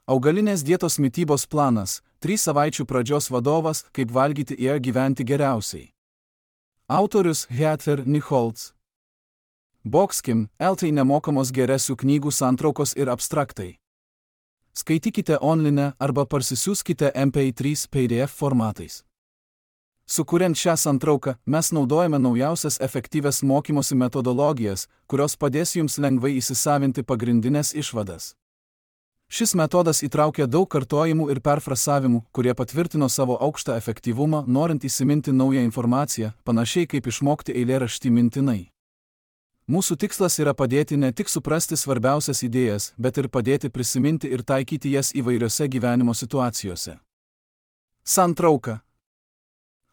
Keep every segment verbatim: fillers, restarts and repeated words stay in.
Augalinės dietos mitybos planas, trys savaičių pradžios vadovas, kaip valgyti ir gyventi geriausiai. Autorius Heather Nichols. Boxkim, eltai nemokamos geresių knygų santraukos ir abstraktai. Skaitykite online arba parsisiųskite M P trys P D F formatais. Sukuriant šią santrauką, mes naudojame naujausias efektyvias mokymosi metodologijas, kurios padės jums lengvai įsisavinti pagrindinės išvadas. Šis metodas įtraukia daug kartojimų ir perfrasavimų, kurie patvirtino savo aukštą efektyvumą, norint įsiminti naują informaciją, panašiai kaip išmokti eilėraštį mintinai. Mūsų tikslas yra padėti ne tik suprasti svarbiausias idėjas, bet ir padėti prisiminti ir taikyti jas įvairiose gyvenimo situacijose. Santrauka.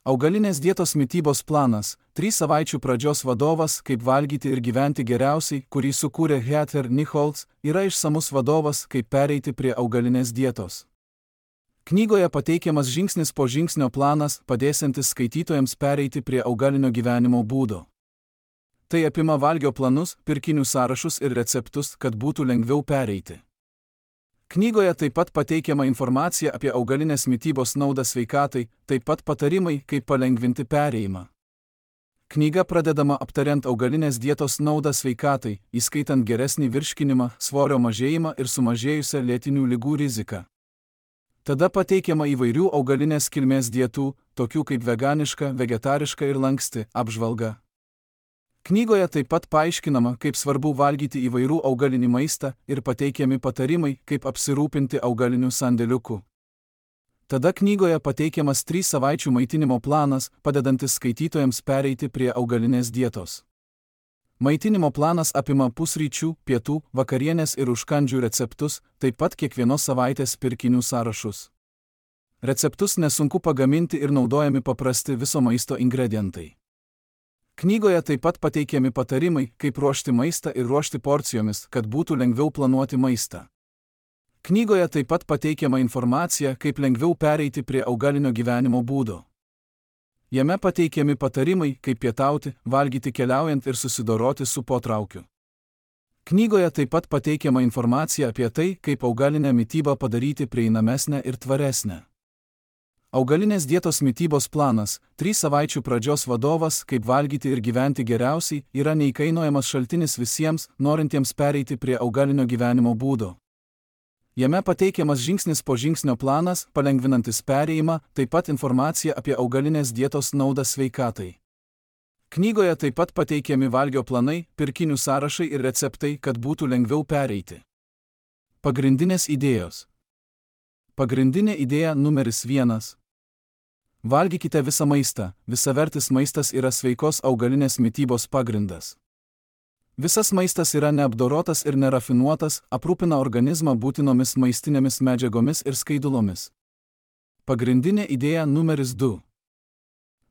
Augalinės dietos mitybos planas, trys savaičių pradžios vadovas, kaip valgyti ir gyventi geriausiai, kurį sukūrė Heather Nichols, yra išsamus vadovas, kaip pereiti prie augalinės dietos. Knygoje pateikiamas žingsnis po žingsnio planas, padėsiantis skaitytojams pereiti prie augalinio gyvenimo būdo. Tai apima valgio planus, pirkinių sąrašus ir receptus, kad būtų lengviau pereiti. Knygoje taip pat pateikiama informacija apie augalinės mitybos naudą sveikatai, taip pat patarimai, kaip palengvinti perėjimą. Knyga pradedama aptariant augalinės dietos naudą sveikatai, įskaitant geresnį virškinimą, svorio mažėjimą ir sumažėjusią lėtinių ligų riziką. Tada pateikiama įvairių augalinės kilmės dietų, tokių kaip veganiška, vegetariška ir lanksti, apžvalga. Knygoje taip pat paaiškinama, kaip svarbu valgyti įvairių augalinį maistą ir pateikiami patarimai, kaip apsirūpinti augaliniu sandėliuku. Tada knygoje pateikiamas trys savaičių maitinimo planas, padedantis skaitytojams pereiti prie augalinės dietos. Maitinimo planas apima pusryčių, pietų, vakarienės ir užkandžių receptus, taip pat kiekvienos savaitės pirkinių sąrašus. Receptus nesunku pagaminti ir naudojami paprasti viso maisto ingredientai. Knygoje taip pat pateikiami patarimai, kaip ruošti maistą ir ruošti porcijomis, kad būtų lengviau planuoti maistą. Knygoje taip pat pateikiama informacija, kaip lengviau pereiti prie augalinio gyvenimo būdo. Jame pateikiami patarimai, kaip pietauti, valgyti keliaujant ir susidoroti su potraukiu. Knygoje taip pat pateikiama informacija apie tai, kaip augalinę mitybą padaryti prieinamesnę ir tvaresnę. Augalinės dietos mitybos planas, trys savaičių pradžios vadovas, kaip valgyti ir gyventi geriausiai, yra neįkainojamas šaltinis visiems, norintiems pereiti prie augalinio gyvenimo būdo. Jame pateikiamas žingsnis po žingsnio planas, palengvinantis perėjimą, taip pat informacija apie augalinės dietos naudą sveikatai. Knygoje taip pat pateikiami valgio planai, pirkinių sąrašai ir receptai, kad būtų lengviau pereiti. Pagrindinės idėjos. Pagrindinė idėja numeris vienas. Valgykite visą maistą, visavertis maistas yra sveikos augalinės mitybos pagrindas. Visas maistas yra neapdorotas ir nerafinuotas, aprūpina organizmą būtinomis maistinėmis medžiagomis ir skaidulomis. Pagrindinė idėja numeris du.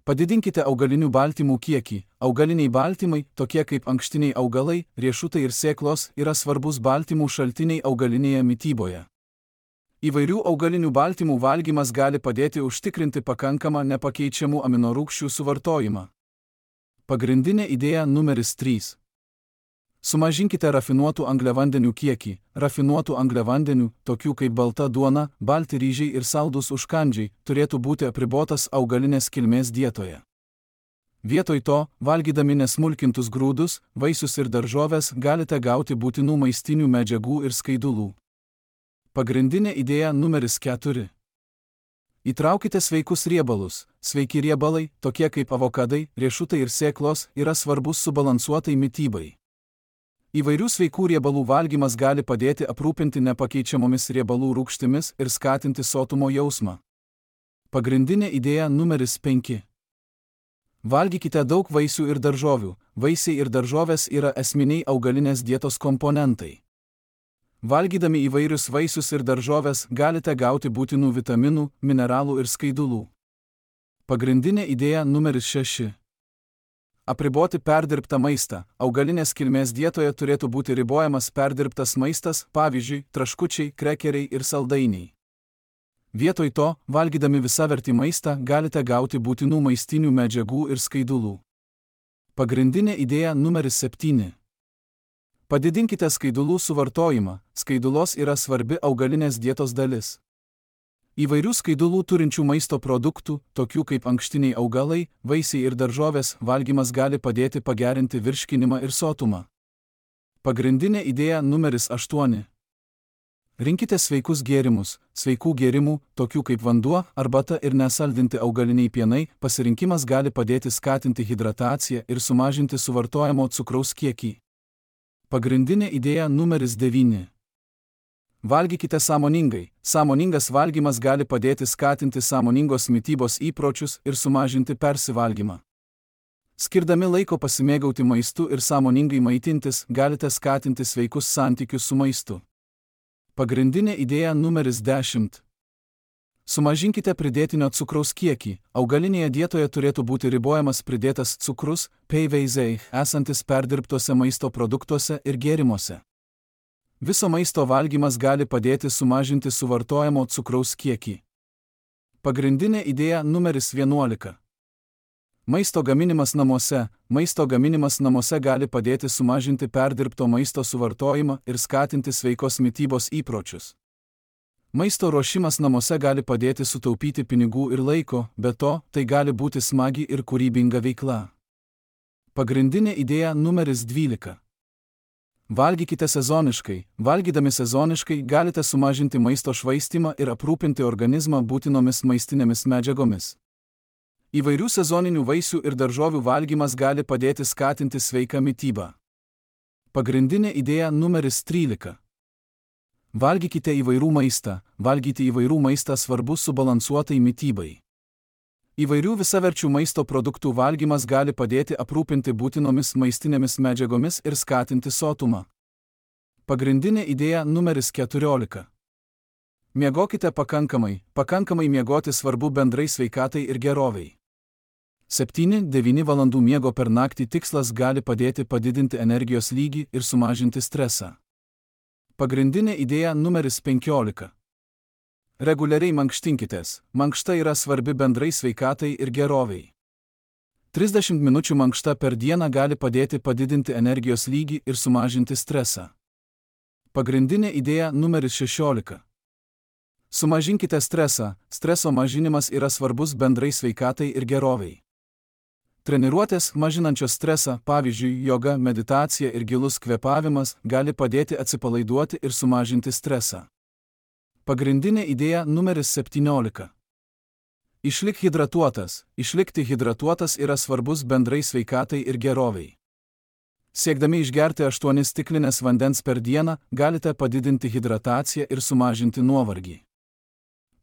Padidinkite augalinių baltymų kiekį. Augaliniai baltymai, tokie kaip ankštiniai augalai, riešutai ir sėklos, yra svarbus baltymų šaltiniai augalinėje mityboje. Įvairių augalinių baltymų valgymas gali padėti užtikrinti pakankamą nepakeičiamų aminorūgščių suvartojimą. Pagrindinė idėja numeris trys. Sumažinkite rafinuotų angliavandenių kiekį. Rafinuotų angliavandenių, tokių kaip balta duona, balti ryžiai ir saldūs užkandžiai, turėtų būti apribotas augalinės kilmės dietoje. Vietoj to, valgydami nesmulkintus grūdus, vaisius ir daržoves, galite gauti būtinų maistinių medžiagų ir skaidulų. Pagrindinė idėja numeris keturi. Įtraukite sveikus riebalus. Sveiki riebalai, tokie kaip avokadai, riešutai ir sėklos, yra svarbus subalansuotai mitybai. Įvairių sveikų riebalų valgymas gali padėti aprūpinti nepakeičiamomis riebalų rūgštimis ir skatinti sotumo jausmą. Pagrindinė idėja numeris penki. Valgykite daug vaisių ir daržovių. Vaisiai ir daržovės yra esminiai augalinės dietos komponentai. Valgydami įvairius vaisius ir daržoves galite gauti būtinų vitaminų, mineralų ir skaidulų. Pagrindinė idėja numeris šeši. Apriboti perdirbtą maistą. Augalinės kilmės dietoje turėtų būti ribojamas perdirbtas maistas, pavyzdžiui, traškučiai, krekeriai ir saldainiai. Vietoj to, valgydami visavertį maistą, galite gauti būtinų maistinių medžiagų ir skaidulų. Pagrindinė idėja numeris septyni. Padidinkite skaidulų suvartojimą, skaidulos yra svarbi augalinės dietos dalis. Įvairių skaidulų turinčių maisto produktų, tokių kaip ankštiniai augalai, vaisiai ir daržovės, valgymas gali padėti pagerinti virškinimą ir sotumą. Pagrindinė idėja numeris aštuoni. Rinkite sveikus gėrimus, sveikų gėrimų, tokių kaip vanduo, arbata ir nesaldinti augaliniai pienai, pasirinkimas gali padėti skatinti hidrataciją ir sumažinti suvartojamo cukraus kiekį. Pagrindinė idėja numeris devyni. Valgykite sąmoningai. Sąmoningas valgymas gali padėti skatinti sąmoningos mitybos įpročius ir sumažinti persivalgymą. Skirdami laiko pasimėgauti maistu ir sąmoningai maitintis, galite skatinti sveikus santykius su maistu. Pagrindinė idėja numeris dešimt. Sumažinkite pridėtinio cukraus kiekį. Augalinėje dietoje turėtų būti ribojamas pridėtas cukrus, P V Z, esantis perdirbtuose maisto produktuose ir gėrimuose. Viso maisto valgymas gali padėti sumažinti suvartojamo cukraus kiekį. Pagrindinė idėja numeris vienuolika. Maisto gaminimas namuose. Maisto gaminimas namuose gali padėti sumažinti perdirbto maisto suvartojimą ir skatinti sveikos mitybos įpročius. Maisto ruošimas namuose gali padėti sutaupyti pinigų ir laiko, be to, tai gali būti smagi ir kūrybinga veikla. Pagrindinė idėja numeris dvylika. Valgykite sezoniškai. Valgydami sezoniškai galite sumažinti maisto švaistymą ir aprūpinti organizmą būtinomis maistinėmis medžiagomis. Įvairių sezoninių vaisių ir daržovių valgymas gali padėti skatinti sveiką mitybą. Pagrindinė idėja numeris trylika. Valgykite įvairių maistą. Valgyti įvairių maistą svarbu subalansuotai mitybai. Įvairių visaverčių maisto produktų valgymas gali padėti aprūpinti būtinomis maistinėmis medžiagomis ir skatinti sotumą. Pagrindinė idėja numeris keturiolika. Miegokite pakankamai. Pakankamai miegoti svarbu bendrai sveikatai ir gerovei. septyni devyni valandų miego per naktį tikslas gali padėti padidinti energijos lygį ir sumažinti stresą. Pagrindinė idėja numeris penkiolika. Reguliariai mankštinkitės. Mankšta yra svarbi bendrai sveikatai ir gerovei. trisdešimt minučių mankšta per dieną gali padėti padidinti energijos lygį ir sumažinti stresą. Pagrindinė idėja numeris šešiolika. Sumažinkite stresą. Streso mažinimas yra svarbus bendrai sveikatai ir gerovei. Treniruotės mažinančios stresą, pavyzdžiui, joga, meditacija ir gilus kvėpavimas, gali padėti atsipalaiduoti ir sumažinti stresą. Pagrindinė idėja numeris septyniolika. Išlik hidratuotas. Išlikti hidratuotas yra svarbus bendrai sveikatai ir gerovei. Siekdami išgerti aštuonias stiklinės vandens per dieną, galite padidinti hidrataciją ir sumažinti nuovargį.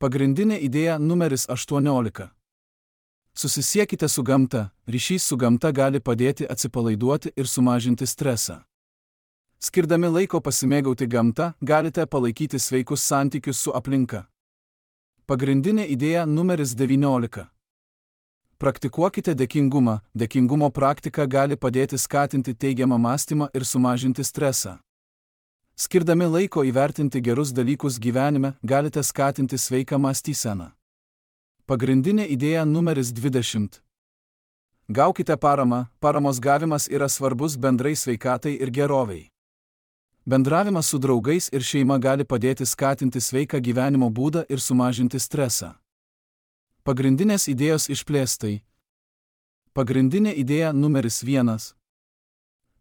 Pagrindinė idėja numeris aštuoniolika. Susisiekite su gamta. Ryšys su gamta gali padėti atsipalaiduoti ir sumažinti stresą. Skirdami laiko pasimėgauti gamta, galite palaikyti sveikus santykius su aplinka. Pagrindinė idėja numeris devyniolika. Praktikuokite dėkingumą. Dėkingumo praktika gali padėti skatinti teigiamą mąstymą ir sumažinti stresą. Skirdami laiko įvertinti gerus dalykus gyvenime, galite skatinti sveiką mąstyseną. Pagrindinė idėja numeris dvidešimt. Gaukite paramą. Paramos gavimas yra svarbus bendrai sveikatai ir gerovei. Bendravimas su draugais ir šeima gali padėti skatinti sveiką gyvenimo būdą ir sumažinti stresą. Pagrindinės idėjos išplėstai. Pagrindinė idėja numeris vienas.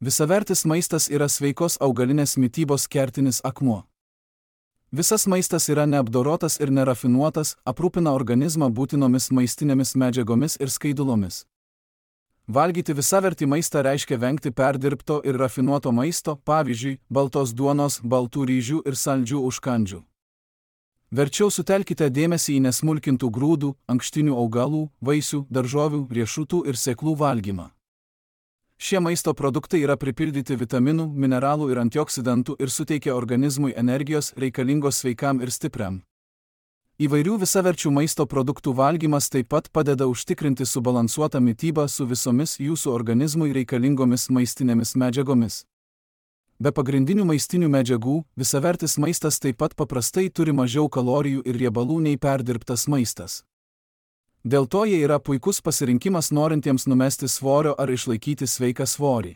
Visavertis maistas yra sveikos augalinės mitybos kertinis akmuo. Visas maistas yra neapdorotas ir nerafinuotas, aprūpina organizmą būtinomis maistinėmis medžiagomis ir skaidulomis. Valgyti visavertį maistą reiškia vengti perdirbto ir rafinuoto maisto, pavyzdžiui, baltos duonos, baltų ryžių ir saldžių užkandžių. Verčiau sutelkite dėmesį į nesmulkintų grūdų, ankštinių augalų, vaisių, daržovių, riešutų ir sėklų valgymą. Šie maisto produktai yra pripildyti vitaminų, mineralų ir antioksidantų ir suteikia organizmui energijos reikalingos sveikam ir stipriam. Įvairių visaverčių maisto produktų valgymas taip pat padeda užtikrinti subalansuotą mitybą su visomis jūsų organizmui reikalingomis maistinėmis medžiagomis. Be pagrindinių maistinių medžiagų, visavertis maistas taip pat paprastai turi mažiau kalorijų ir riebalų nei perdirbtas maistas. Dėl to jie yra puikus pasirinkimas norintiems numesti svorio ar išlaikyti sveiką svorį.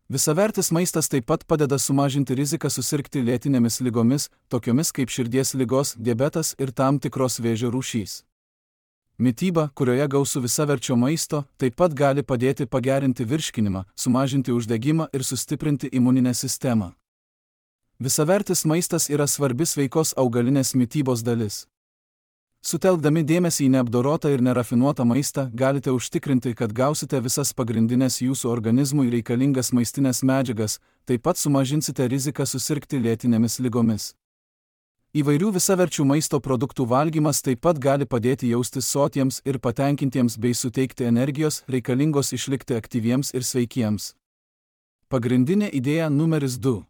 Visavertis maistas taip pat padeda sumažinti riziką susirgti lėtinėmis ligomis, tokiomis kaip širdies ligos, diabetas ir tam tikros vėžio rūšys. Mityba, kurioje gausu visaverčio maisto, taip pat gali padėti pagerinti virškinimą, sumažinti uždegimą ir sustiprinti imuninę sistemą. Visavertis maistas yra svarbi sveikos augalinės mitybos dalis. Sutelkdami dėmesį į neapdorotą ir nerafinuotą maistą, galite užtikrinti, kad gausite visas pagrindinės jūsų organizmui reikalingas maistinės medžiagas, taip pat sumažinsite riziką susirgti lėtinėmis ligomis. Įvairių visaverčių maisto produktų valgymas taip pat gali padėti jaustis sotiems ir patenkintiems bei suteikti energijos, reikalingos išlikti aktyviems ir sveikiems. Pagrindinė idėja numeris du.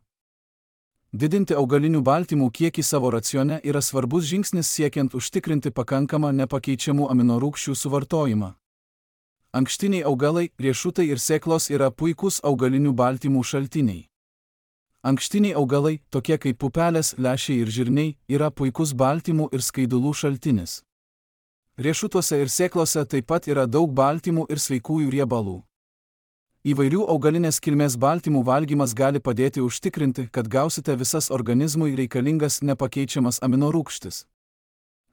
Didinti augalinių baltymų kiekį savo racione yra svarbus žingsnis siekiant užtikrinti pakankamą nepakeičiamų aminorūgščių suvartojimą. Ankštiniai augalai, riešutai ir sėklos yra puikūs augalinių baltymų šaltiniai. Ankštiniai augalai, tokie kaip pupelės, lęšiai ir žirniai, yra puikus baltymų ir skaidulų šaltinis. Riešutuose ir sėklose taip pat yra daug baltymų ir sveikųjų riebalų. Įvairių augalinės kilmės baltymų valgymas gali padėti užtikrinti, kad gausite visas organizmui reikalingas nepakeičiamas aminorūgštis.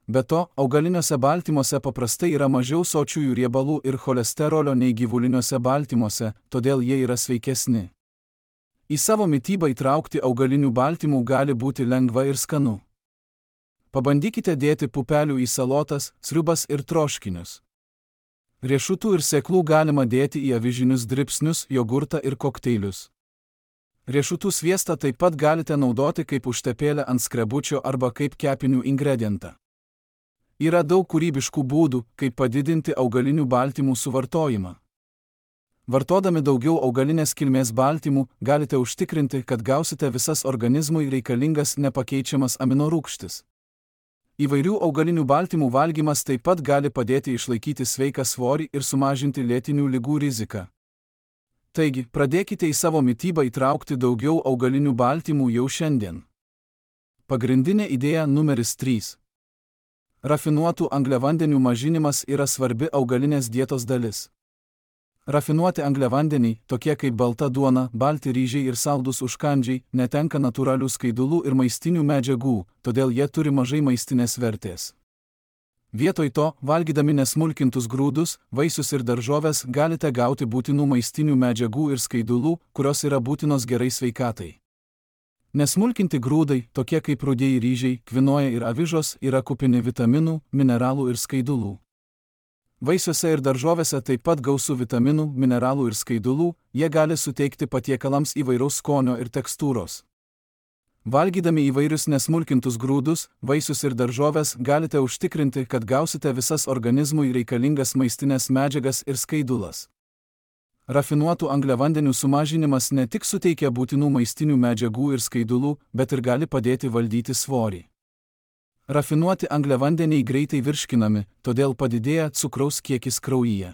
Be to, augaliniuose baltymuose paprastai yra mažiau sočiųjų riebalų ir cholesterolio nei gyvuliniuose baltymuose, todėl jie yra sveikesni. Į savo mitybą įtraukti augalinių baltymų gali būti lengva ir skanu. Pabandykite dėti pupelių į salotas, sriubas ir troškinius. Riešutų ir sėklų galima dėti į avižinius dribsnius, jogurtą ir kokteilius. Riešutų sviestą taip pat galite naudoti kaip užtepėlę ant skrebučio arba kaip kepinių ingredientą. Yra daug kūrybiškų būdų, kaip padidinti augalinių baltymų suvartojimą. Vartodami daugiau augalinės kilmės baltymų, galite užtikrinti, kad gausite visas organizmui reikalingas nepakeičiamas aminorūgštis. Įvairių augalinių baltymų valgymas taip pat gali padėti išlaikyti sveiką svorį ir sumažinti lėtinių ligų riziką. Taigi, pradėkite į savo mitybą įtraukti daugiau augalinių baltymų jau šiandien. Pagrindinė idėja numeris trys. Rafinuotų angliavandenių mažinimas yra svarbi augalinės dietos dalis. Rafinuoti angliavandeniai, tokie kaip balta duona, balti ryžiai ir saldūs užkandžiai, netenka natūralių skaidulų ir maistinių medžiagų, todėl jie turi mažai maistinės vertės. Vietoj to, valgydami nesmulkintus grūdus, vaisius ir daržoves, galite gauti būtinų maistinių medžiagų ir skaidulų, kurios yra būtinos gerai sveikatai. Nesmulkinti grūdai, tokie kaip rudieji ryžiai, kvinoja ir avižos, yra kupini vitaminų, mineralų ir skaidulų. Vaisiuose ir daržovėse taip pat gausu vitaminų, mineralų ir skaidulų, jie gali suteikti patiekalams įvairaus skonio ir tekstūros. Valgydami įvairius nesmulkintus grūdus, vaisius ir daržoves, galite užtikrinti, kad gausite visas organizmui reikalingas maistinės medžiagas ir skaidulas. Rafinuotų angliavandenių sumažinimas ne tik suteikia būtinų maistinių medžiagų ir skaidulų, bet ir gali padėti valdyti svorį. Rafinuoti angliavandeniai greitai virškinami, todėl padidėja cukraus kiekis kraujyje.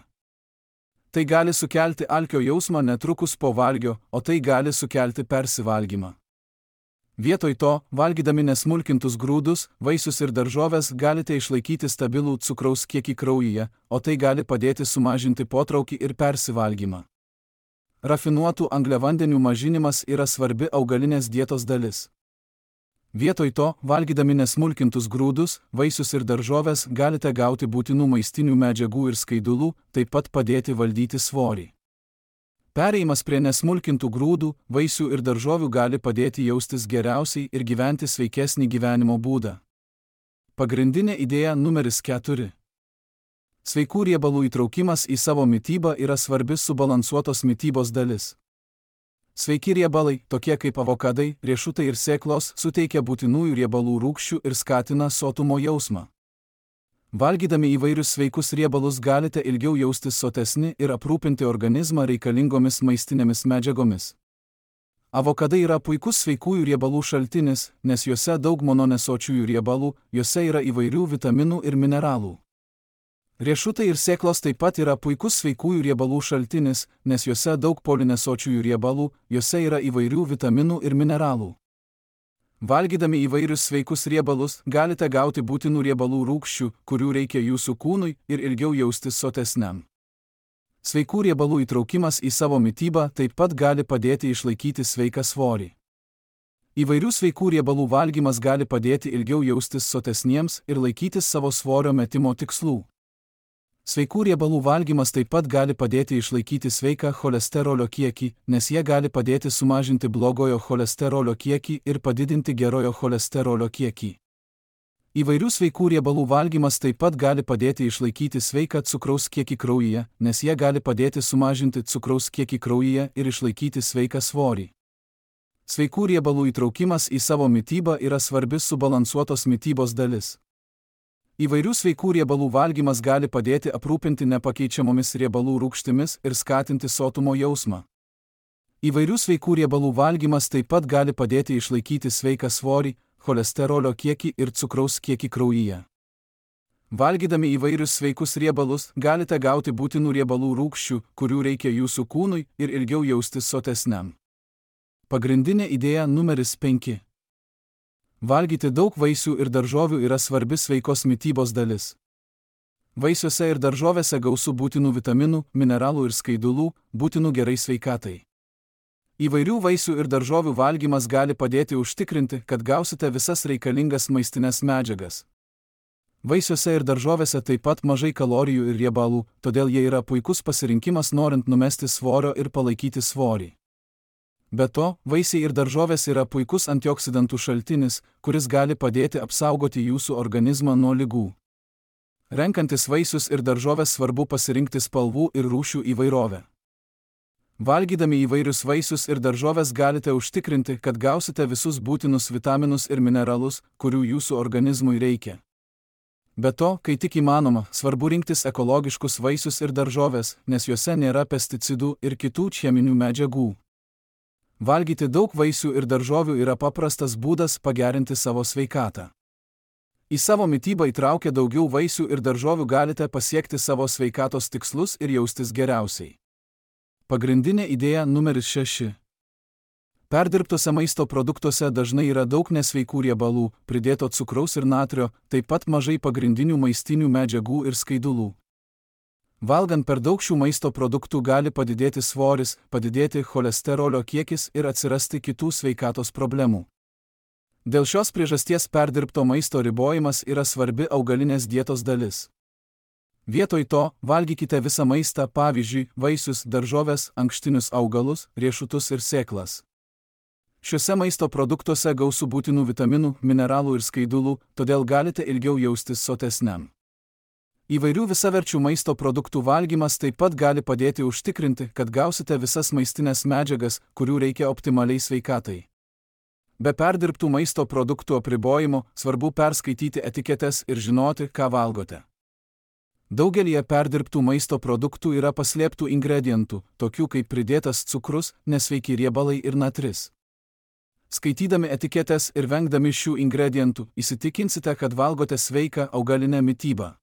Tai gali sukelti alkio jausmą netrukus po valgio, o tai gali sukelti persivalgymą. Vietoj to, valgydami nesmulkintus grūdus, vaisius ir daržoves, galite išlaikyti stabilų cukraus kiekį kraujyje, o tai gali padėti sumažinti potraukį ir persivalgymą. Rafinuotų angliavandenių mažinimas yra svarbi augalinės dietos dalis. Vietoj to, valgydami nesmulkintus grūdus, vaisius ir daržoves, galite gauti būtinų maistinių medžiagų ir skaidulų, taip pat padėti valdyti svorį. Perėjimas prie nesmulkintų grūdų, vaisių ir daržovių gali padėti jaustis geriausiai ir gyventi sveikesnį gyvenimo būdą. Pagrindinė idėja numeris keturi. Sveikų riebalų įtraukimas į savo mitybą yra svarbi subalansuotos mitybos dalis. Sveiki riebalai, tokie kaip avokadai, riešutai ir sėklos, suteikia būtinųjų riebalų rūgščių ir skatina sotumo jausmą. Valgydami įvairius sveikus riebalus galite ilgiau jaustis sotesni ir aprūpinti organizmą reikalingomis maistinėmis medžiagomis. Avokadai yra puikus sveikųjų riebalų šaltinis, nes juose daug mononesočiųjų riebalų, juose yra įvairių vitaminų ir mineralų. Riešutai ir sėklos taip pat yra puikus sveikųjų riebalų šaltinis, nes juose daug polinesočiųjų riebalų, juose yra įvairių vitaminų ir mineralų. Valgydami įvairius sveikus riebalus, galite gauti būtinų riebalų rūgščių, kurių reikia jūsų kūnui ir ilgiau jaustis sotesniam. Sveikų riebalų įtraukimas į savo mitybą taip pat gali padėti išlaikyti sveiką svorį. Įvairių sveikų riebalų valgymas gali padėti ilgiau jaustis sotesniems ir laikytis savo svorio metimo tikslų. Sveikų riebalų valgymas taip pat gali padėti išlaikyti sveiką cholesterolio kiekį, nes jie gali padėti sumažinti blogojo cholesterolio kiekį ir padidinti gerojo cholesterolio kiekį. Įvairių sveikų riebalų valgymas taip pat gali padėti išlaikyti sveiką cukraus kiekį kraujyje, nes jie gali padėti sumažinti cukraus kiekį kraujyje ir išlaikyti sveiką svorį. Sveikų riebalų įtraukimas į savo mitybą yra svarbi subalansuotos mitybos dalis. Įvairių sveikų riebalų valgymas gali padėti aprūpinti nepakeičiamomis riebalų rūgštimis ir skatinti sotumo jausmą. Įvairių sveikų riebalų valgymas taip pat gali padėti išlaikyti sveiką svorį, cholesterolio kiekį ir cukraus kiekį kraujyje. Valgydami įvairius sveikus riebalus, galite gauti būtinų riebalų rūgščių, kurių reikia jūsų kūnui ir ilgiau jaustis sotesniam. Pagrindinė idėja numeris penki. Valgyti daug vaisių ir daržovių yra svarbi sveikos mitybos dalis. Vaisiuose ir daržovėse gausu būtinų vitaminų, mineralų ir skaidulų, būtinų gerai sveikatai. Įvairių vaisių ir daržovių valgymas gali padėti užtikrinti, kad gausite visas reikalingas maistines medžiagas. Vaisiuose ir daržovėse taip pat mažai kalorijų ir riebalų, todėl jie yra puikus pasirinkimas norint numesti svorio ir palaikyti svorį. Be to, vaisiai ir daržovės yra puikus antioksidantų šaltinis, kuris gali padėti apsaugoti jūsų organizmą nuo ligų. Renkantis vaisius ir daržovės svarbu pasirinkti spalvų ir rūšių įvairovę. Valgydami įvairius vaisius ir daržovės galite užtikrinti, kad gausite visus būtinus vitaminus ir mineralus, kurių jūsų organizmui reikia. Be to, kai tik įmanoma, svarbu rinktis ekologiškus vaisius ir daržovės, nes juose nėra pesticidų ir kitų cheminių medžiagų. Valgyti daug vaisių ir daržovių yra paprastas būdas pagerinti savo sveikatą. Į savo mitybą įtraukę daugiau vaisių ir daržovių galite pasiekti savo sveikatos tikslus ir jaustis geriausiai. Pagrindinė idėja numeris šeši. Perdirbtuose maisto produktuose dažnai yra daug nesveikų riebalų, pridėto cukraus ir natrio, taip pat mažai pagrindinių maistinių medžiagų ir skaidulų. Valgant per daug šių maisto produktų gali padidėti svoris, padidėti cholesterolio kiekis ir atsirasti kitų sveikatos problemų. Dėl šios priežasties perdirbto maisto ribojimas yra svarbi augalinės dietos dalis. Vietoj to, valgykite visą maistą, pavyzdžiui, vaisius, daržoves, ankštinius augalus, riešutus ir sėklas. Šiuose maisto produktuose gausu būtinų vitaminų, mineralų ir skaidulų, todėl galite ilgiau jaustis sotesniam. Įvairių visaverčių maisto produktų valgymas taip pat gali padėti užtikrinti, kad gausite visas maistinės medžiagas, kurių reikia optimaliai sveikatai. Be perdirbtų maisto produktų apribojimo, svarbu perskaityti etiketes ir žinoti, ką valgote. Daugelyje perdirbtų maisto produktų yra paslėptų ingredientų, tokių kaip pridėtas cukrus, nesveiki riebalai ir natris. Skaitydami etiketes ir vengdami šių ingredientų, įsitikinsite, kad valgote sveiką augalinę mitybą.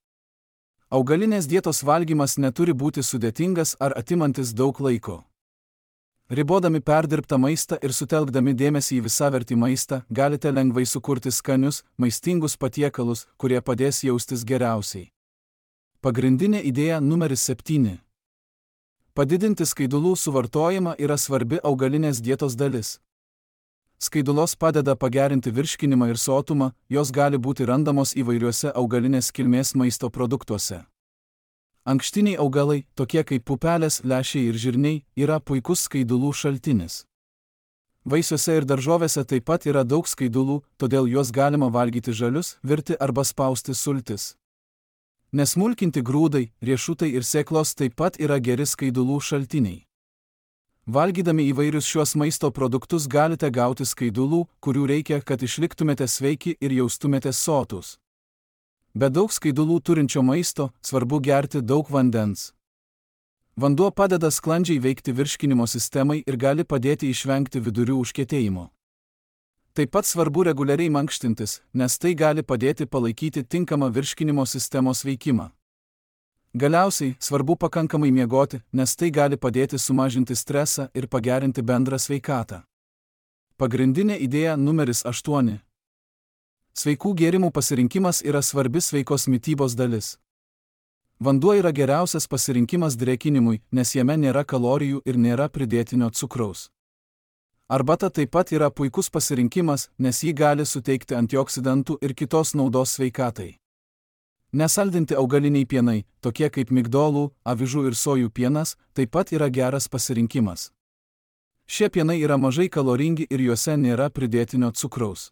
Augalinės dietos valgymas neturi būti sudėtingas ar atimantis daug laiko. Ribodami perdirbtą maistą ir sutelkdami dėmesį į visavertį maistą, galite lengvai sukurti skanius, maistingus patiekalus, kurie padės jaustis geriausiai. Pagrindinė idėja numeris septyni. Padidinti skaidulų suvartojimą yra svarbi augalinės dietos dalis. Skaidulos padeda pagerinti virškinimą ir sotumą, jos gali būti randamos įvairiuose augalinės kilmės maisto produktuose. Ankštiniai augalai, tokie kaip pupelės, lęšiai ir žirniai, yra puikus skaidulų šaltinis. Vaisiuose ir daržovėse taip pat yra daug skaidulų, todėl juos galima valgyti žalius, virti arba spausti sultis. Nesmulkinti grūdai, riešutai ir sėklos taip pat yra geri skaidulų šaltiniai. Valgydami įvairius šiuos maisto produktus galite gauti skaidulų, kurių reikia, kad išliktumėte sveiki ir jaustumėtės sotus. Be daug skaidulų turinčio maisto, svarbu gerti daug vandens. Vanduo padeda sklandžiai veikti virškinimo sistemai ir gali padėti išvengti vidurių užkietėjimo. Taip pat svarbu reguliariai mankštintis, nes tai gali padėti palaikyti tinkamą virškinimo sistemos veikimą. Galiausiai, svarbu pakankamai miegoti, nes tai gali padėti sumažinti stresą ir pagerinti bendrą sveikatą. Pagrindinė idėja numeris aštuoni. Sveikų gėrimų pasirinkimas yra svarbi sveikos mitybos dalis. Vanduo yra geriausias pasirinkimas drėkinimui, nes jame nėra kalorijų ir nėra pridėtinio cukraus. Arbata taip pat yra puikus pasirinkimas, nes ji gali suteikti antioksidantų ir kitos naudos sveikatai. Nesaldinti augaliniai pienai, tokie kaip migdolų, avižų ir sojų pienas, taip pat yra geras pasirinkimas. Šie pienai yra mažai kaloringi ir juose nėra pridėtinio cukraus.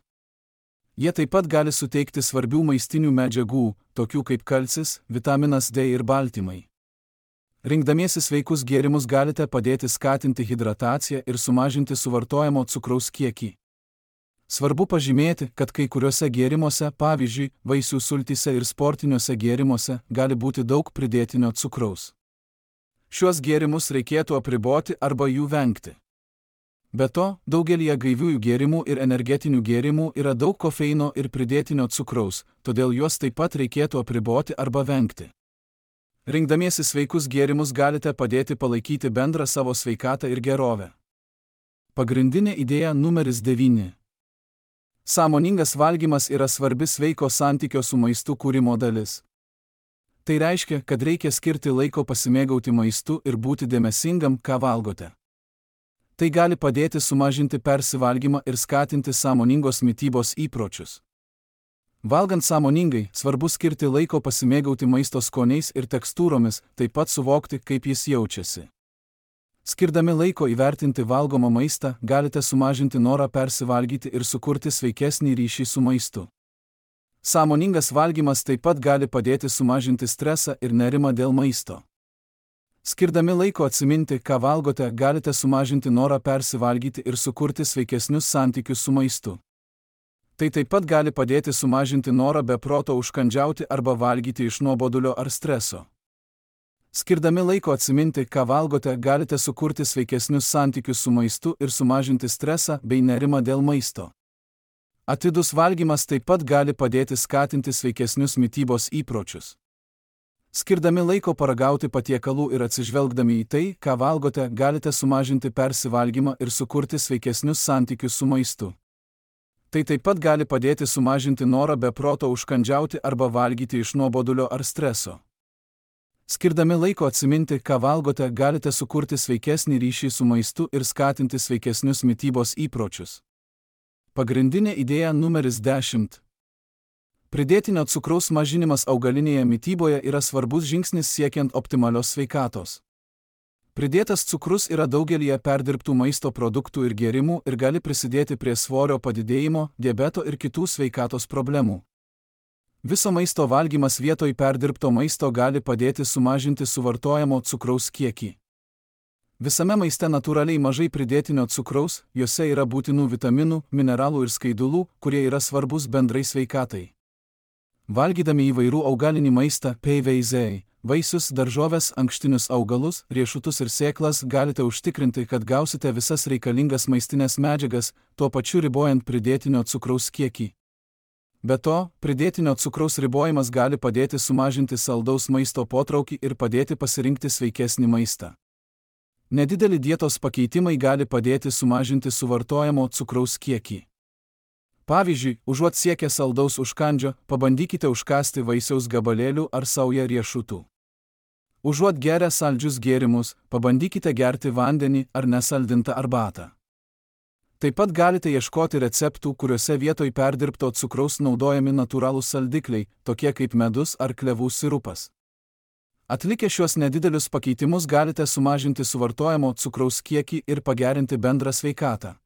Jie taip pat gali suteikti svarbių maistinių medžiagų, tokių kaip kalcis, vitaminas D ir baltymai. Rinkdamiesi sveikus gėrimus galite padėti skatinti hidrataciją ir sumažinti suvartojamo cukraus kiekį. Svarbu pažymėti, kad kai kuriuose gėrimuose, pavyzdžiui, vaisių sultyse ir sportiniuose gėrimuose, gali būti daug pridėtinio cukraus. Šiuos gėrimus reikėtų apriboti arba jų vengti. Be to, daugelyje gaiviųjų gėrimų ir energetinių gėrimų yra daug kofeino ir pridėtinio cukraus, todėl juos taip pat reikėtų apriboti arba vengti. Rinkdamiesi sveikus gėrimus galite padėti palaikyti bendrą savo sveikatą ir gerovę. Pagrindinė idėja numeris devyni. Sąmoningas valgymas yra svarbi sveiko santykio su maistu kūrimo dalis. Tai reiškia, kad reikia skirti laiko pasimėgauti maistu ir būti dėmesingam, ką valgote. Tai gali padėti sumažinti persivalgymą ir skatinti sąmoningos mitybos įpročius. Valgant sąmoningai, svarbu skirti laiko pasimėgauti maisto skoniais ir tekstūromis, taip pat suvokti, kaip jis jaučiasi. Skirdami laiko įvertinti valgomą maistą, galite sumažinti norą persivalgyti ir sukurti sveikesnį ryšį su maistu. Sąmoningas valgymas taip pat gali padėti sumažinti stresą ir nerimą dėl maisto. Skirdami laiko atsiminti, ką valgote, galite sumažinti norą persivalgyti ir sukurti sveikesnius santykius su maistu. Tai taip pat gali padėti sumažinti norą be proto užkandžiauti arba valgyti iš nuobodulio ar streso. Skirdami laiko atsiminti, ką valgote, galite sukurti sveikesnius santykius su maistu ir sumažinti stresą bei nerimą dėl maisto. Atidus valgymas taip pat gali padėti skatinti sveikesnius mitybos įpročius. Skirdami laiko paragauti patiekalų ir atsižvelgdami į tai, ką valgote, galite sumažinti persivalgymą ir sukurti sveikesnius santykius su maistu. Tai taip pat gali padėti sumažinti norą be proto užkandžiauti arba valgyti iš nuobodulio ar streso. Skirdami laiko atsiminti, ką valgote, galite sukurti sveikesnį ryšį su maistu ir skatinti sveikesnius mitybos įpročius. Pagrindinė idėja numeris dešimt. Pridėtinio cukraus mažinimas augalinėje mityboje yra svarbus žingsnis siekiant optimalios sveikatos. Pridėtas cukrus yra daugelyje perdirbtų maisto produktų ir gėrimų ir gali prisidėti prie svorio padidėjimo, diabeto ir kitų sveikatos problemų. Viso maisto valgymas vietoj perdirbto maisto gali padėti sumažinti suvartojamo cukraus kiekį. Visame maiste natūraliai mažai pridėtinio cukraus, juose yra būtinų vitaminų, mineralų ir skaidulų, kurie yra svarbus bendrai sveikatai. Valgydami įvairių augalinį maistą, peiveizei, vaisius, daržoves, ankštinius augalus, riešutus ir sėklas, galite užtikrinti, kad gausite visas reikalingas maistinės medžiagas, tuo pačiu ribojant pridėtinio cukraus kiekį. Be to, pridėtinio cukraus ribojimas gali padėti sumažinti saldaus maisto potraukį ir padėti pasirinkti sveikesnį maistą. Nedideli dietos pakeitimai gali padėti sumažinti suvartojamo cukraus kiekį. Pavyzdžiui, užuot siekę saldaus užkandžio, pabandykite užkąsti vaisiaus gabalėlių ar saują riešutų. Užuot geria saldžius gėrimus, pabandykite gerti vandenį ar nesaldintą arbatą. Taip pat galite ieškoti receptų, kuriuose vietoj perdirbto cukraus naudojami natūralūs saldikliai, tokie kaip medus ar klevų sirupas. Atlikę šiuos nedidelius pakeitimus galite sumažinti suvartojamo cukraus kiekį ir pagerinti bendrą sveikatą.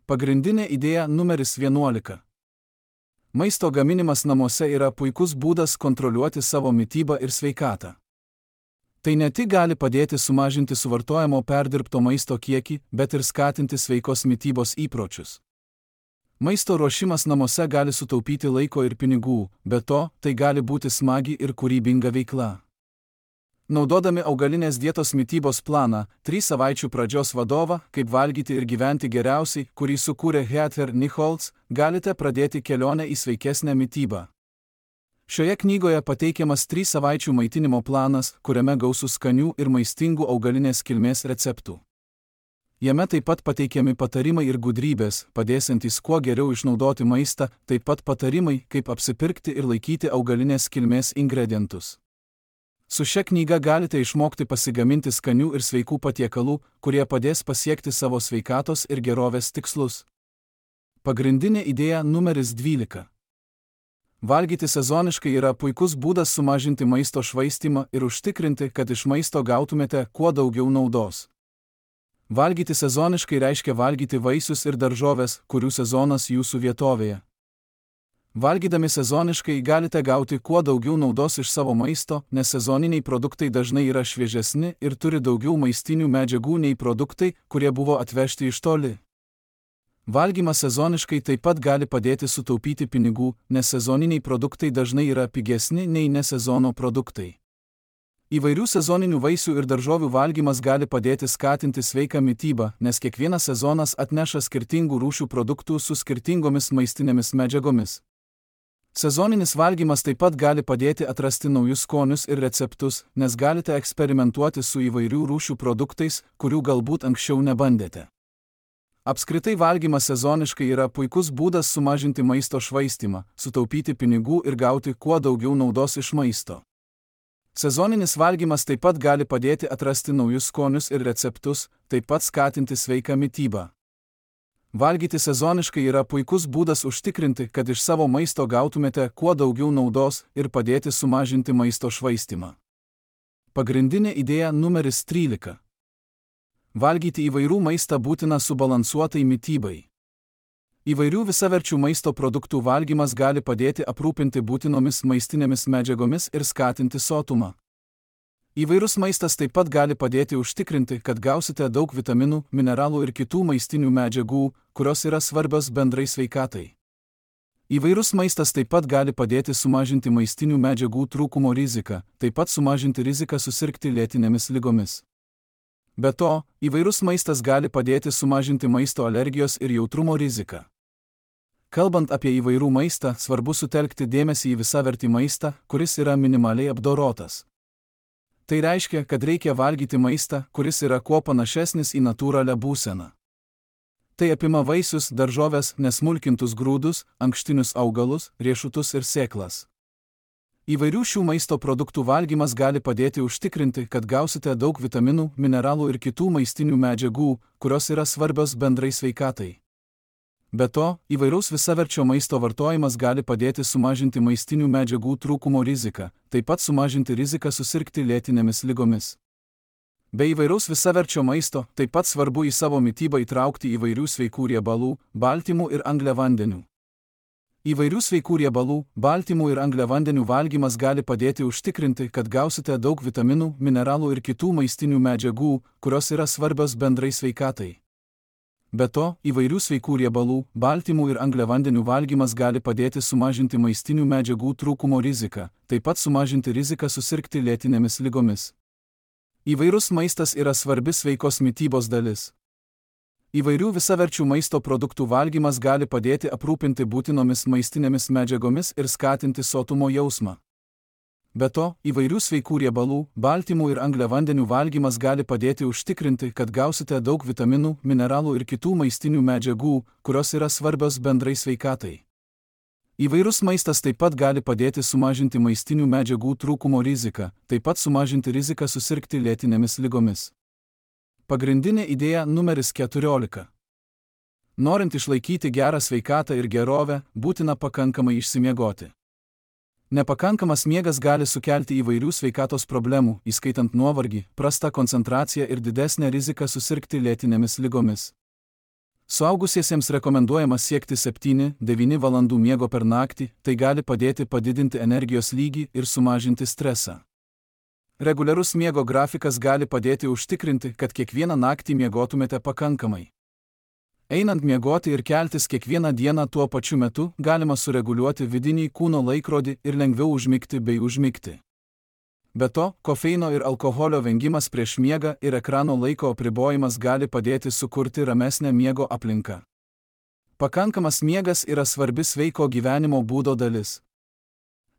Pagrindinė idėja numeris vienuolika. Maisto gaminimas namuose yra puikus būdas kontroliuoti savo mitybą ir sveikatą. Tai ne tik gali padėti sumažinti suvartojamo perdirbto maisto kiekį, bet ir skatinti sveikos mitybos įpročius. Maisto ruošimas namuose gali sutaupyti laiko ir pinigų, be to, tai gali būti smagi ir kūrybinga veikla. Naudodami augalinės dietos mitybos planą, trys savaičių pradžios vadovą, kaip valgyti ir gyventi geriausiai, kurį sukūrė Heather Nichols, galite pradėti kelionę į sveikesnę mitybą. Šioje knygoje pateikiamas trys savaičių maitinimo planas, kuriame gausu skanių ir maistingų augalinės kilmės receptų. Jame taip pat pateikiami patarimai ir gudrybės, padėsiantys kuo geriau išnaudoti maistą, taip pat patarimai, kaip apsipirkti ir laikyti augalinės kilmės ingredientus. Su šia knyga galite išmokti pasigaminti skanių ir sveikų patiekalų, kurie padės pasiekti savo sveikatos ir gerovės tikslus. Pagrindinė idėja numeris dvylika. Valgyti sezoniškai yra puikus būdas sumažinti maisto švaistymą ir užtikrinti, kad iš maisto gautumėte kuo daugiau naudos. Valgyti sezoniškai reiškia valgyti vaisius ir daržoves, kurių sezonas jūsų vietovėje. Valgydami sezoniškai galite gauti kuo daugiau naudos iš savo maisto, nes sezoniniai produktai dažnai yra šviežesni ir turi daugiau maistinių medžiagų nei produktai, kurie buvo atvežti iš toli. Valgymas sezoniškai taip pat gali padėti sutaupyti pinigų, nes sezoniniai produktai dažnai yra pigesni nei nesezono produktai. Įvairių sezoninių vaisių ir daržovių valgymas gali padėti skatinti sveiką mitybą, nes kiekvienas sezonas atneša skirtingų rūšių produktų su skirtingomis maistinėmis medžiagomis. Sezoninis valgymas taip pat gali padėti atrasti naujus skonius ir receptus, nes galite eksperimentuoti su įvairių rūšių produktais, kurių galbūt anksčiau nebandėte. Apskritai valgymas sezoniškai yra puikus būdas sumažinti maisto švaistymą, sutaupyti pinigų ir gauti kuo daugiau naudos iš maisto. Sezoninis valgymas taip pat gali padėti atrasti naujus skonius ir receptus, taip pat skatinti sveiką mitybą. Valgyti sezoniškai yra puikus būdas užtikrinti, kad iš savo maisto gautumėte kuo daugiau naudos ir padėti sumažinti maisto švaistymą. Pagrindinė idėja numeris trylika. Valgyti įvairių maistą būtina subalansuotai mitybai. Įvairių visaverčių maisto produktų valgymas gali padėti aprūpinti būtinomis maistinėmis medžiagomis ir skatinti sotumą. Įvairus maistas taip pat gali padėti užtikrinti, kad gausite daug vitaminų, mineralų ir kitų maistinių medžiagų, kurios yra svarbios bendrai sveikatai. Įvairus maistas taip pat gali padėti sumažinti maistinių medžiagų trūkumo riziką, taip pat sumažinti riziką susirgti lėtinėmis ligomis. Be to, įvairus maistas gali padėti sumažinti maisto alergijos ir jautrumo riziką. Kalbant apie įvairų maistą, svarbu sutelkti dėmesį į visavertį maistą, kuris yra minimaliai apdorotas. Tai reiškia, kad reikia valgyti maistą, kuris yra kuo panašesnis į natūralią būseną. Tai apima vaisius, daržoves, nesmulkintus grūdus, ankštinius augalus, riešutus ir sėklas. Įvairių šių maisto produktų valgymas gali padėti užtikrinti, kad gausite daug vitaminų, mineralų ir kitų maistinių medžiagų, kurios yra svarbios bendrai sveikatai. Be to, įvairaus visaverčio maisto vartojimas gali padėti sumažinti maistinių medžiagų trūkumo riziką, taip pat sumažinti riziką susirgti lėtinėmis ligomis. Be įvairaus visaverčio maisto, taip pat svarbu į savo mitybą įtraukti įvairių sveikų riebalų, baltymų ir angliavandenių. Įvairių sveikų riebalų, baltymų ir angliavandenių valgymas gali padėti užtikrinti, kad gausite daug vitaminų, mineralų ir kitų maistinių medžiagų, kurios yra svarbios bendrai sveikatai. Be to, įvairių sveikų riebalų, baltymų ir angliavandenių valgymas gali padėti sumažinti maistinių medžiagų trūkumo riziką, taip pat sumažinti riziką susirgti lėtinėmis ligomis. Įvairus maistas yra svarbi sveikos mitybos dalis. Įvairių visaverčių maisto produktų valgymas gali padėti aprūpinti būtinomis maistinėmis medžiagomis ir skatinti sotumo jausmą. Be to, įvairių sveikų riebalų, baltymų ir angliavandenių valgymas gali padėti užtikrinti, kad gausite daug vitaminų, mineralų ir kitų maistinių medžiagų, kurios yra svarbios bendrai sveikatai. Įvairus maistas taip pat gali padėti sumažinti maistinių medžiagų trūkumo riziką, taip pat sumažinti riziką susirgti lėtinėmis ligomis. Pagrindinė idėja numeris keturiolika. Norint išlaikyti gerą sveikatą ir gerovę, būtina pakankamai išsimiegoti. Nepakankamas miegas gali sukelti įvairių sveikatos problemų, įskaitant nuovargį, prastą koncentraciją ir didesnę riziką susirgti lėtinėmis ligomis. Suaugusiesiems rekomenduojama siekti septynių devynių valandų miego per naktį, tai gali padėti padidinti energijos lygį ir sumažinti stresą. Reguliarus miego grafikas gali padėti užtikrinti, kad kiekvieną naktį miegotumėte pakankamai. Einant miegoti ir keltis kiekvieną dieną tuo pačiu metu, galima sureguliuoti vidinį kūno laikrodį ir lengviau užmigti bei užmigti. Be to, kofeino ir alkoholio vengimas prieš miegą ir ekrano laiko apribojimas gali padėti sukurti ramesnę miego aplinką. Pakankamas miegas yra svarbi sveiko gyvenimo būdo dalis.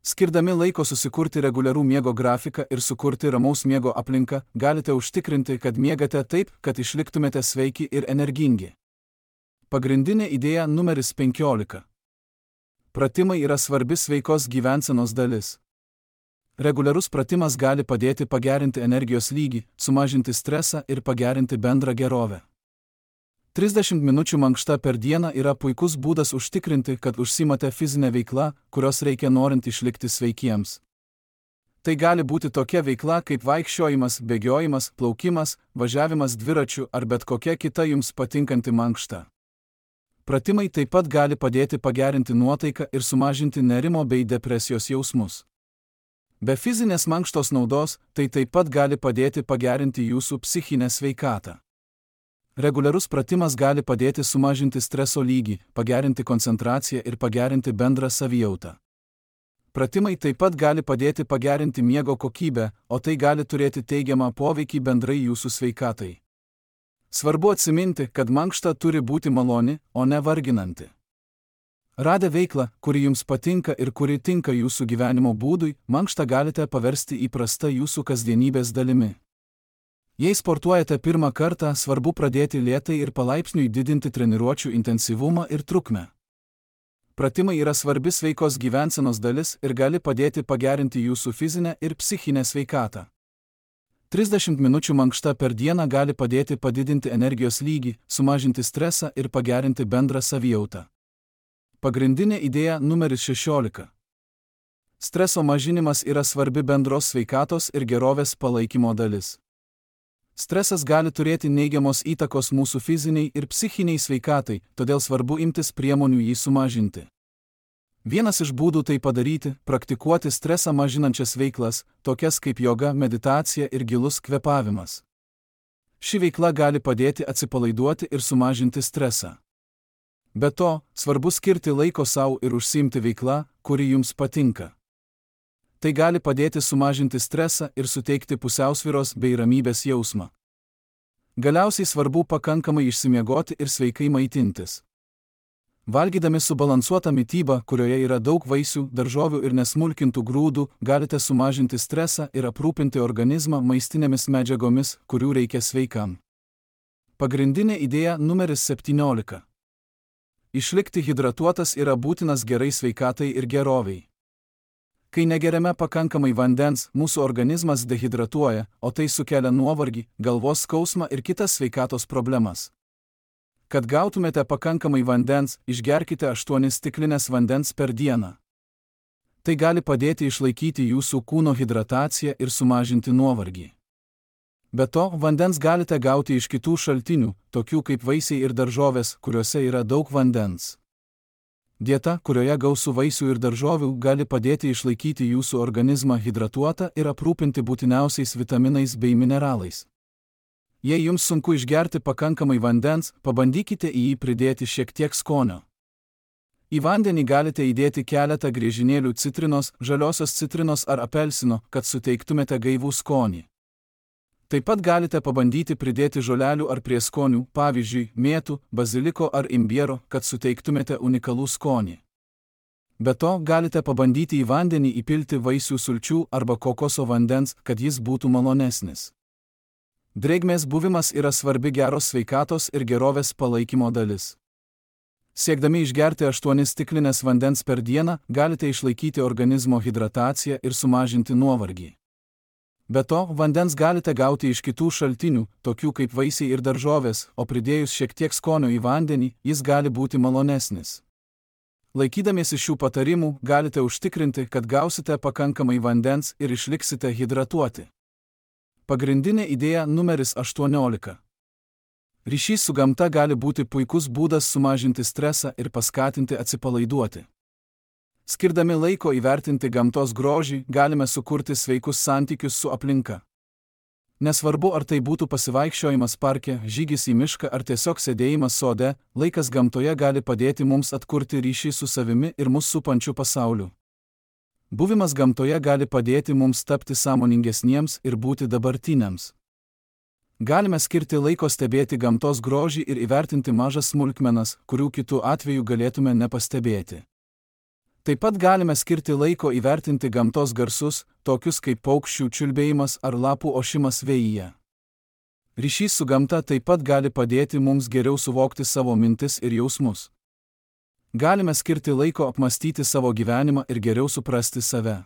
Skirdami laiko susikurti reguliarų miego grafiką ir sukurti ramaus miego aplinką, galite užtikrinti, kad miegate taip, kad išliktumėte sveiki ir energingi. Pagrindinė idėja numeris penkiolika. Pratimai yra svarbi sveikos gyvensenos dalis. Reguliarus pratimas gali padėti pagerinti energijos lygį, sumažinti stresą ir pagerinti bendrą gerovę. trisdešimt minučių mankšta per dieną yra puikus būdas užtikrinti, kad užsiimate fizinę veiklą, kurios reikia norint išlikti sveikiems. Tai gali būti tokia veikla kaip vaikščiojimas, bėgiojimas, plaukimas, važiavimas dviračiu ar bet kokia kita jums patinkanti mankšta. Pratimai taip pat gali padėti pagerinti nuotaiką ir sumažinti nerimo bei depresijos jausmus. Be fizinės mankštos naudos, tai taip pat gali padėti pagerinti jūsų psichinę sveikatą. Reguliarus pratimas gali padėti sumažinti streso lygį, pagerinti koncentraciją ir pagerinti bendrą savijautą. Pratimai taip pat gali padėti pagerinti miego kokybę, o tai gali turėti teigiamą poveikį bendrai jūsų sveikatai. Svarbu atsiminti, kad mankšta turi būti maloni, o ne varginanti. Radę veiklą, kuri jums patinka ir kuri tinka jūsų gyvenimo būdui, mankštą galite paversti įprasta jūsų kasdienybės dalimi. Jei sportuojate pirmą kartą, svarbu pradėti lėtai ir palaipsniui didinti treniruočių intensyvumą ir trukmę. Pratimai yra svarbi sveikos gyvensenos dalis ir gali padėti pagerinti jūsų fizinę ir psichinę sveikatą. trisdešimt minučių mankšta per dieną gali padėti padidinti energijos lygį, sumažinti stresą ir pagerinti bendrą savijautą. Pagrindinė idėja numeris šešiolika. Streso mažinimas yra svarbi bendros sveikatos ir gerovės palaikymo dalis. Stresas gali turėti neigiamos įtakos mūsų fiziniai ir psichiniai sveikatai, todėl svarbu imtis priemonių jį sumažinti. Vienas iš būdų tai padaryti – praktikuoti stresą mažinančias veiklas, tokias kaip joga, meditacija ir gilus kvėpavimas. Ši veikla gali padėti atsipalaiduoti ir sumažinti stresą. Be to, svarbu skirti laiko sau ir užsiimti veiklą, kuri jums patinka. Tai gali padėti sumažinti stresą ir suteikti pusiausvyros bei ramybės jausmą. Galiausiai svarbu pakankamai išsimiegoti ir sveikai maitintis. Valgydami subalansuotą mitybą, kurioje yra daug vaisių, daržovių ir nesmulkintų grūdų, galite sumažinti stresą ir aprūpinti organizmą maistinėmis medžiagomis, kurių reikia sveikam. Pagrindinė idėja numeris septyniolika. Išlikti hidratuotas yra būtinas gerai sveikatai ir geroviai. Kai negeriame pakankamai vandens, mūsų organizmas dehidratuoja, o tai sukelia nuovargį, galvos skausmą ir kitas sveikatos problemas. Kad gautumėte pakankamai vandens, išgerkite aštuonias stiklines vandens per dieną. Tai gali padėti išlaikyti jūsų kūno hidrataciją ir sumažinti nuovargį. Be to, vandens galite gauti iš kitų šaltinių, tokių kaip vaisiai ir daržovės, kuriuose yra daug vandens. Dieta, kurioje gausu vaisių ir daržovių, gali padėti išlaikyti jūsų organizmą hidratuotą ir aprūpinti būtiniausiais vitaminais bei mineralais. Jei jums sunku išgerti pakankamai vandens, pabandykite į jį pridėti šiek tiek skonio. Į vandenį galite įdėti keletą griežinėlių citrinos, žaliosios citrinos ar apelsino, kad suteiktumėte gaivų skonį. Taip pat galite pabandyti pridėti žolelių ar prieskonių, pavyzdžiui, mėtų, baziliko ar imbiero, kad suteiktumėte unikalų skonį. Be to, galite pabandyti į vandenį įpilti vaisių sulčių arba kokoso vandens, kad jis būtų malonesnis. Drėgmės buvimas yra svarbi geros sveikatos ir gerovės palaikymo dalis. Siekdami išgerti aštuonias stiklines vandens per dieną, galite išlaikyti organizmo hidrataciją ir sumažinti nuovargį. Be to, vandens galite gauti iš kitų šaltinių, tokių kaip vaisiai ir daržovės, o pridėjus šiek tiek skonio į vandenį, jis gali būti malonesnis. Laikydamiesi šių patarimų, galite užtikrinti, kad gausite pakankamai vandens ir išliksite hidratuoti. Pagrindinė idėja numeris aštuoniolika. Ryšys su gamta gali būti puikus būdas sumažinti stresą ir paskatinti atsipalaiduoti. Skirdami laiko įvertinti gamtos grožį, galime sukurti sveikus santykius su aplinka. Nesvarbu, ar tai būtų pasivaikščiojimas parke, žygis į mišką ar tiesiog sėdėjimas sode, laikas gamtoje gali padėti mums atkurti ryšį su savimi ir mus supančiu pasauliu. Buvimas gamtoje gali padėti mums tapti sąmoningesniems ir būti dabartiniams. Galime skirti laiko stebėti gamtos grožį ir įvertinti mažas smulkmenas, kurių kitų atveju galėtume nepastebėti. Taip pat galime skirti laiko įvertinti gamtos garsus, tokius kaip paukščių čiulbėjimas ar lapų ošimas vėjyje. Ryšys su gamta taip pat gali padėti mums geriau suvokti savo mintis ir jausmus. Galime skirti laiko apmastyti savo gyvenimą ir geriau suprasti save.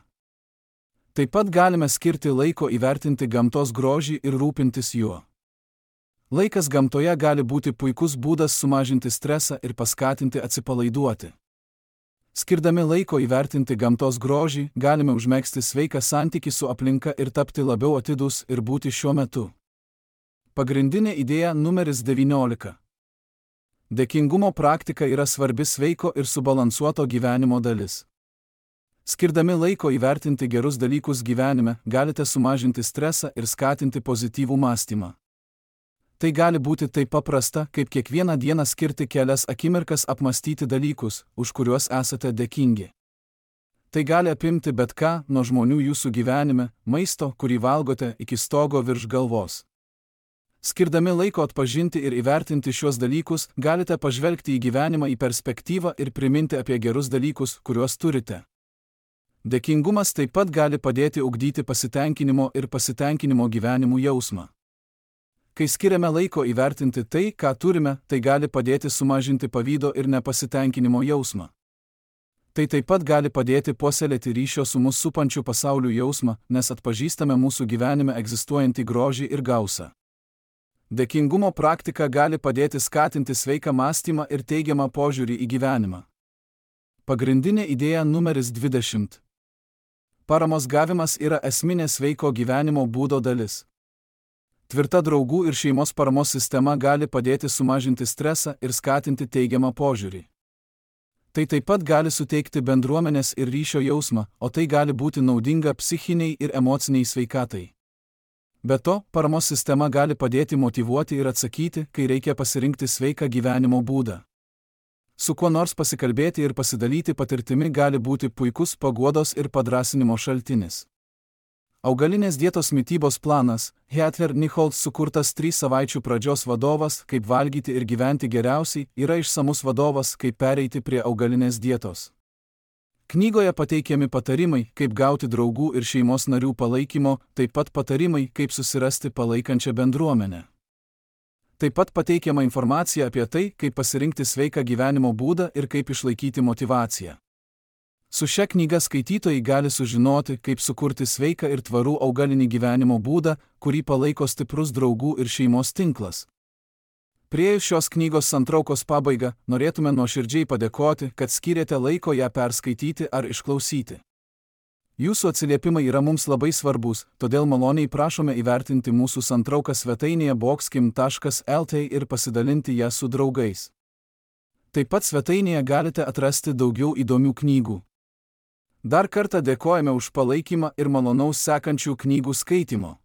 Taip pat galime skirti laiko įvertinti gamtos grožį ir rūpintis juo. Laikas gamtoje gali būti puikus būdas sumažinti stresą ir paskatinti atsipalaiduoti. Skirdami laiko įvertinti gamtos grožį, galime užmegzti sveiką santykį su aplinka ir tapti labiau atidūs ir būti šiuo metu. Pagrindinė idėja numeris devyniolika. Dėkingumo praktika yra svarbi sveiko ir subalansuoto gyvenimo dalis. Skirdami laiko įvertinti gerus dalykus gyvenime, galite sumažinti stresą ir skatinti pozityvų mąstymą. Tai gali būti taip paprasta, kaip kiekvieną dieną skirti kelias akimirkas apmąstyti dalykus, už kuriuos esate dėkingi. Tai gali apimti bet ką, nuo žmonių jūsų gyvenime, maisto, kurį valgote, iki stogo virš galvos. Skirdami laiko atpažinti ir įvertinti šiuos dalykus, galite pažvelgti į gyvenimą į perspektyvą ir priminti apie gerus dalykus, kuriuos turite. Dėkingumas taip pat gali padėti ugdyti pasitenkinimo ir pasitenkinimo gyvenimu jausmą. Kai skiriame laiko įvertinti tai, ką turime, tai gali padėti sumažinti pavydo ir nepasitenkinimo jausmą. Tai taip pat gali padėti puoselėti ryšio su mus supančiu pasauliu jausmą, nes atpažįstame mūsų gyvenime egzistuojantį grožį ir gausą. Dėkingumo praktika gali padėti skatinti sveiką mąstymą ir teigiamą požiūrį į gyvenimą. Pagrindinė idėja numeris dvidešimt. Paramos gavimas yra esminė sveiko gyvenimo būdo dalis. Tvirta draugų ir šeimos paramos sistema gali padėti sumažinti stresą ir skatinti teigiamą požiūrį. Tai taip pat gali suteikti bendruomenės ir ryšio jausmą, o tai gali būti naudinga psichiniai ir emociniai sveikatai. Be to, paramos sistema gali padėti motyvuoti ir atsakyti, kai reikia pasirinkti sveiką gyvenimo būdą. Su kuo nors pasikalbėti ir pasidalyti patirtimi gali būti puikus paguodos ir padrąsinimo šaltinis. Augalinės dietos mitybos planas, Heather Nichols sukurtas trys savaičių pradžios vadovas, kaip valgyti ir gyventi geriausiai, yra išsamus vadovas, kaip pereiti prie augalinės dietos. Knygoje pateikiami patarimai, kaip gauti draugų ir šeimos narių palaikymo, taip pat patarimai, kaip susirasti palaikančią bendruomenę. Taip pat pateikiama informacija apie tai, kaip pasirinkti sveiką gyvenimo būdą ir kaip išlaikyti motyvaciją. Su šia knyga skaitytojai gali sužinoti, kaip sukurti sveiką ir tvarų augalinį gyvenimo būdą, kurį palaiko stiprus draugų ir šeimos tinklas. Priėjus šios knygos santraukos pabaigą, norėtume nuoširdžiai padėkoti, kad skyrėte laiko ją perskaityti ar išklausyti. Jūsų atsiliepimai yra mums labai svarbus, todėl maloniai prašome įvertinti mūsų santrauką svetainėje boxkim taškas lt ir pasidalinti ją su draugais. Taip pat svetainėje galite atrasti daugiau įdomių knygų. Dar kartą dėkojame už palaikymą ir malonaus sekančių knygų skaitimo.